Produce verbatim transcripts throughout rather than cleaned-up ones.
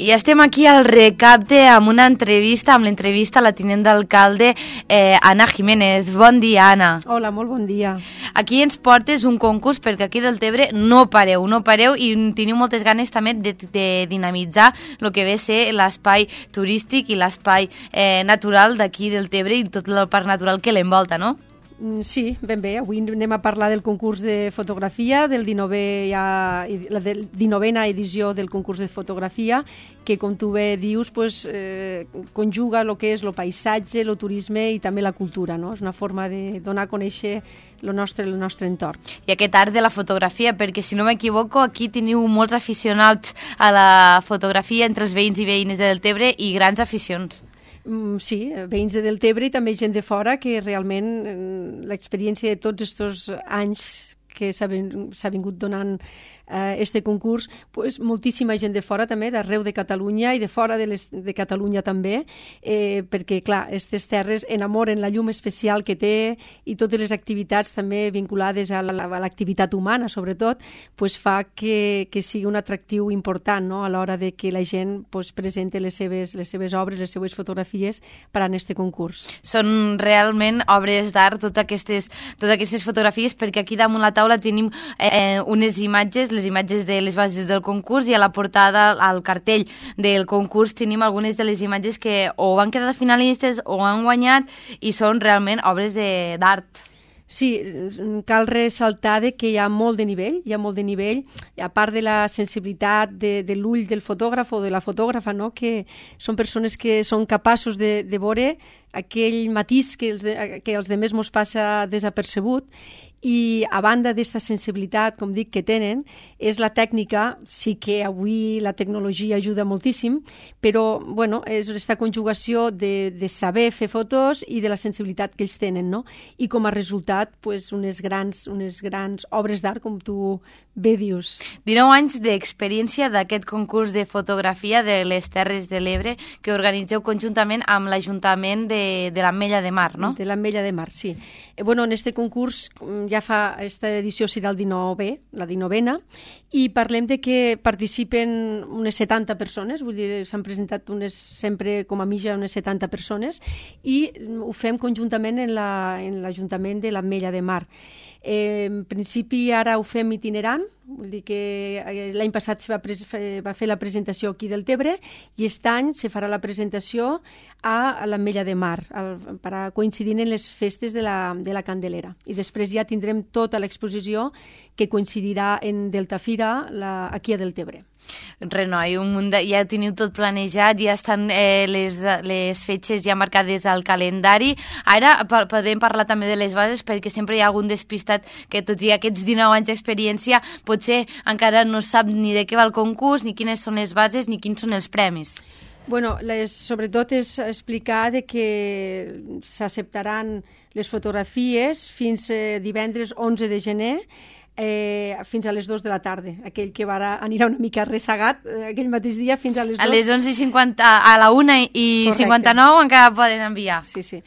I estem aquí al Recapte amb una entrevista, amb l'entrevista a la tinent d'alcalde eh, Anna Jiménez. Bon dia, Anna. Hola, molt bon dia. Aquí ens portes un concurs perquè aquí del Tebre no pareu, no pareu i teniu moltes ganes també de, de dinamitzar el que ve a ser l'espai turístic i l'espai eh, natural d'aquí del Tebre i tot el parc natural que l'envolta, no? Sí, ben bé. Avui anem a parlar del concurs de fotografia, del dinovè, ja, la dinovena edició del concurs de fotografia, que, com tu bé dius, pues, eh, conjuga el que és el paisatge, el turisme i també la cultura, no? És una forma de donar a conèixer el nostre, el nostre entorn. I aquest art de la fotografia, perquè si no m'equivoco, aquí teniu molts aficionats a la fotografia entre els veïns i veïnes de Deltebre i grans aficions. Sí, veïns de Deltebre i també gent de fora, que realment l'experiència de tots aquests anys que s'ha vingut donant eh, este concurs, pues, moltíssima gent de fora també, d'arreu de Catalunya i de fora de, les, de Catalunya també, eh, perquè, clar, aquestes terres enamoren la llum especial que té i totes les activitats també vinculades a l'activitat humana, sobretot, pues, fa que, que sigui un atractiu important, no?, a l'hora de que la gent pues, presenti les seves, les seves obres, les seves fotografies per a aquest concurs. Són realment obres d'art, totes aquestes, totes aquestes fotografies, perquè aquí damunt la taula tenim eh, unes imatges, les imatges de les bases del concurs, i a la portada, al cartell del concurs, tenim algunes de les imatges que o han quedat finalistes o han guanyat i són realment obres d'art. Sí, cal ressaltar que hi ha molt de nivell, hi ha molt de nivell, a part de la sensibilitat de, de l'ull del fotògraf o de la fotògrafa, no?, que són persones que són capaços de, de veure aquell matís que els, de, que els demés mos passa desapercebut. I a banda d'esta sensibilitat, com dic, que tenen, és la tècnica. Sí que avui la tecnologia ajuda moltíssim, però bueno, és aquesta conjugació de, de saber fer fotos i de la sensibilitat que ells tenen, no? I com a resultat, pues, unes grans, unes grans obres d'art, com tu bé dius. dinou anys d'experiència d'aquest concurs de fotografia de les Terres de l'Ebre que organitzeu conjuntament amb l'Ajuntament de, de l'Ametlla de Mar, no? De l'Ametlla de Mar, sí. Eh, bueno, en este concurs ja fa, esta edició serà el dinovè, la dinovena, i parlem de que participen unes setanta persones, vull dir, s'han presentat unes, sempre com a mitja unes setanta persones, i ho fem conjuntament en l'Ajuntament de l'Ametlla de Mar. Eh, en principi ara ho fem itinerant, vull dir que l'any passat se va, va fer la presentació aquí del Tebre i aquest any se farà la presentació a l'Ametlla de Mar al, per a coincidir en les festes de la, de la Candelera, i després ja tindrem tota l'exposició que coincidirà en Deltafira la, aquí a Deltebre. Renoi, un munt de, ja teniu tot planejat, ja estan eh, les, les fetges ja marcades al calendari. Ara podrem parlar també de les bases, perquè sempre hi ha algun despistat que, tot i aquests dinou anys d'experiència, potser encara no sap ni de què va el concurs, ni quines són les bases, ni quins són els premis. Bueno, les, sobretot és explicar de que s'acceptaran les fotografies fins eh, divendres onze de gener, Eh, fins a les dues de la tarda. Aquell que va, anirà una mica ressagat eh, aquell mateix dia fins a les dues. A les onze i cinquanta, a la una i Correcte. cinquanta-nou encara poden enviar. Sí, sí.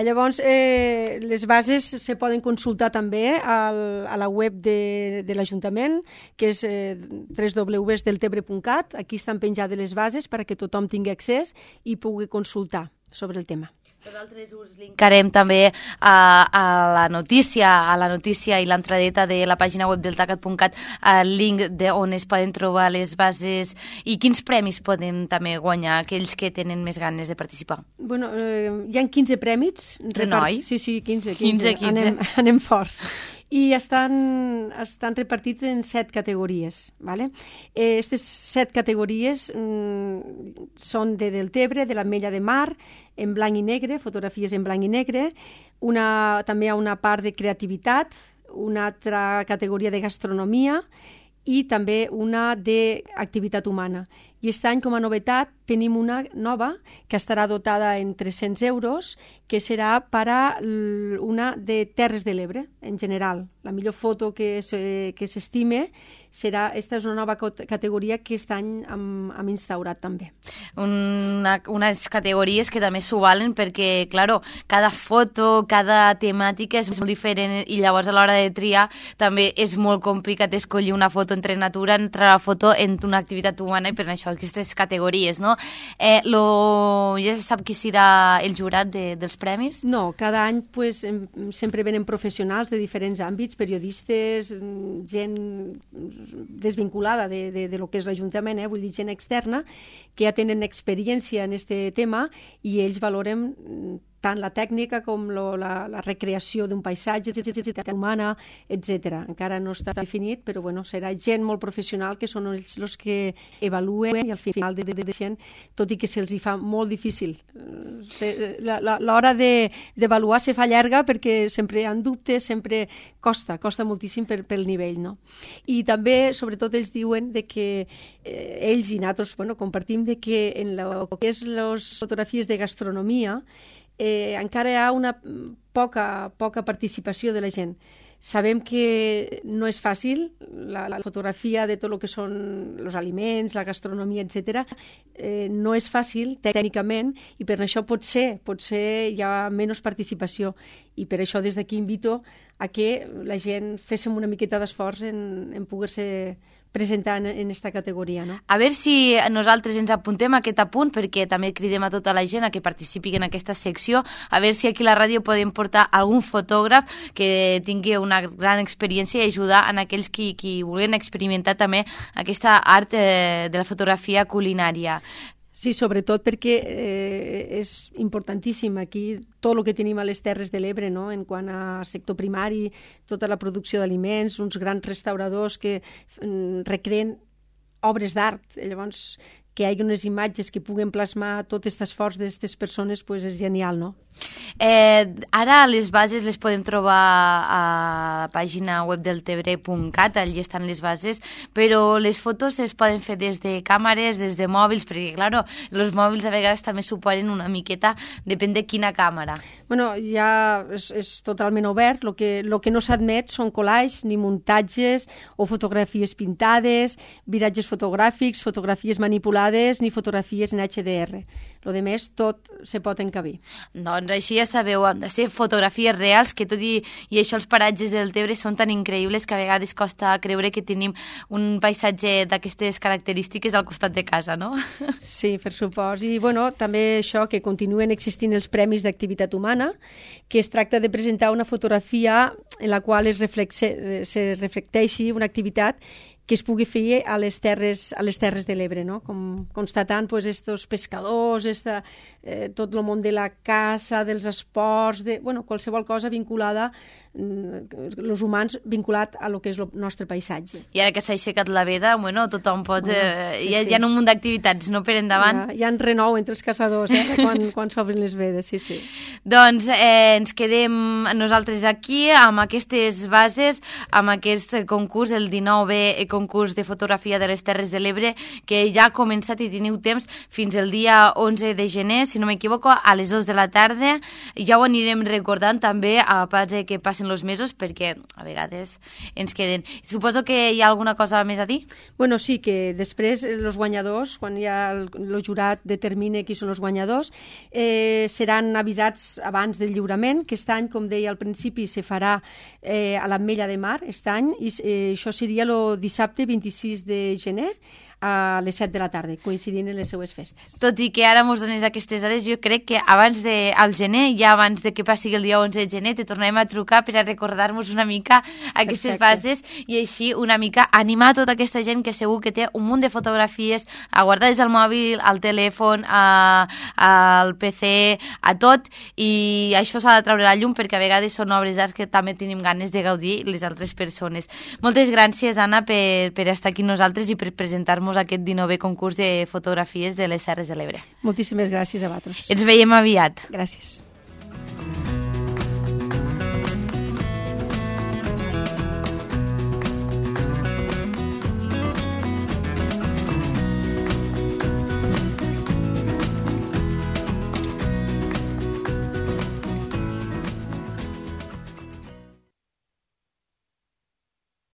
Llavors, eh, les bases se poden consultar també al, a la web de, de l'Ajuntament, que és eh, w w w punt deltebre punt cat. Aquí estan penjades les bases perquè tothom tingui accés i pugui consultar sobre el tema. Nosaltres us linkarem també a, a la notícia, a la notícia i l'entradeta de la pàgina web del tacat punt cat, el link de on es poden trobar les bases i quins premis podem també guanyar aquells que tenen més ganes de participar. Bueno, eh, hi ha quinze prèmits. Renoi? Sí, sí, quinze. quinze, quinze. Anem, anem forts. I estan, estan repartits en set categories. ¿Vale? Aquestes set categories mm, són de Deltebre, de l'Ametlla de Mar, en blanc i negre, fotografies en blanc i negre, una, també hi ha una part de creativitat, una altra categoria de gastronomia i també una d'activitat humana. I aquest any, com a novetat, tenim una nova que estarà dotada en tres-cents euros, que serà per a una de Terres de l'Ebre, en general. La millor foto que s'estime serà, aquesta és una nova categoria que aquest any hem, hem instaurat també. Una, unes categories que també s'ho valen perquè, claro, cada foto, cada temàtica és molt diferent i llavors a l'hora de triar també és molt complicat escollir una foto entre natura, entre la foto en una activitat humana, i per això això, aquestes categories, no? Eh, lo, ja se sap qui serà el jurat de, dels premis? No, cada any pues, em, sempre venen professionals de diferents àmbits, periodistes, gent desvinculada de, de, de lo que és l'Ajuntament, eh? Vull dir, gent externa, que ja tenen experiència en aquest tema i ells valoren tant la tècnica com lo, la, la recreació d'un paisatge, humana, etcètera. Encara no està definit, però bueno, serà gent molt professional que són ells els que evaluen i al final de, de, de gent, tot i que se'ls fa molt difícil. L'hora d'avaluar de, se fa llarga perquè sempre hi ha dubtes, sempre costa, costa moltíssim per, pel nivell, no? I també, sobretot, ells diuen de que eh, ells i nosaltres bueno, compartim de que en el que és les fotografies de gastronomia Eh, encara hi ha una poca, poca participació de la gent. Sabem que no és fàcil, la, la fotografia de tot el que són els aliments, la gastronomia, etcètera, eh, no és fàcil tècnicament i per això potser, potser hi ha menys participació i per això des d'aquí invito a que la gent féssim una miqueta d'esforç en, en poder-se presentar en aquesta categoria, no? A veure si nosaltres ens apuntem a aquest apunt, perquè també cridem a tota la gent a que participi en aquesta secció, a veure si aquí a la ràdio podem portar algun fotògraf que tingui una gran experiència i ajudar en aquells qui, qui vulguin experimentar també aquesta art eh, de la fotografia culinària. Sí, sobretot perquè eh, és importantíssim aquí tot el que tenim a les Terres de l'Ebre, no? En quant a sector primari, tota la producció d'aliments, uns grans restauradors que mm, recreen obres d'art. Llavors, que hi hagi unes imatges que puguen plasmar tot aquest esforç d'aquestes persones, pues és genial, no? Eh, ara les bases les podem trobar a la pàgina web del tebre punt cat, allí estan les bases, però les fotos es poden fer des de càmeres, des de mòbils, perquè, clar, els mòbils a vegades també suposen una miqueta, depèn de quina càmera. Bueno, ja és, és totalment obert, el que, lo que no s'admet són collages, ni muntatges o fotografies pintades, viratges fotogràfics, fotografies manipulades, ni fotografies en H D R. Lo de més, tot se pot encabir. Doncs així ja sabeu, han de ser fotografies reals, que tot i, i això els paratges del Tebre són tan increïbles que a vegades costa creure que tenim un paisatge d'aquestes característiques al costat de casa, no? Sí, per supost. I bueno, també això, que continuen existint els Premis d'Activitat Humana, que es tracta de presentar una fotografia en la qual es, reflexe, se reflecteixi una activitat que es pugui fer a les terres, a les terres de l'Ebre, no? Com, constatant pues, estos pescadors, esta, eh, tot el món de la caça, dels esports, de, bueno, qualsevol cosa vinculada, els humans vinculat a lo que és el nostre paisatge. I ara que s'ha aixecat la veda, bueno, tothom pot... Bueno, eh, sí, hi, ha, sí. hi ha un munt d'activitats, no per endavant. Hi ha, hi ha renou entre els caçadors, eh, quan, quan s'obren les vedes, sí, sí. Doncs eh, ens quedem nosaltres aquí amb aquestes bases, amb aquest concurs, el dinou-è concurs de fotografia de les Terres de l'Ebre, que ja ha començat i teniu temps fins el dia onze de gener, si no m'equivoco, a les dues de la tarda. Ja ho anirem recordant també a pas que passin els mesos, perquè a vegades ens queden. Suposo que hi ha alguna cosa més a dir? Bueno, sí, que després els guanyadors, quan ja el, el jurat determina qui són els guanyadors, eh, seran avisats abans del lliurament, que aquest any, com deia al principi, se farà eh, a l'Ametlla de Mar, aquest any, i eh, això seria el dissabte vint-i-sis de gener, a les set de la tarda, coincidint en les seues festes. Tot i que ara mos dones aquestes dades, jo crec que abans de, al gener, ja abans de que passi el dia onze de gener, te tornarem a trucar per a recordar-nos una mica aquestes Perfecte. Bases i així una mica animar tota aquesta gent que segur que té un munt de fotografies guardades al mòbil, al telèfon, a, al P C, a tot, i això s'ha de treure a la llum perquè a vegades són obres d'art que també tenim ganes de gaudir les altres persones. Moltes gràcies, Anna, per, per estar aquí nosaltres i per presentar-nos aquest dinou-è concurs de fotografies de les Terres de l'Ebre. Moltíssimes gràcies a vosaltres. Ens veiem aviat. Gràcies.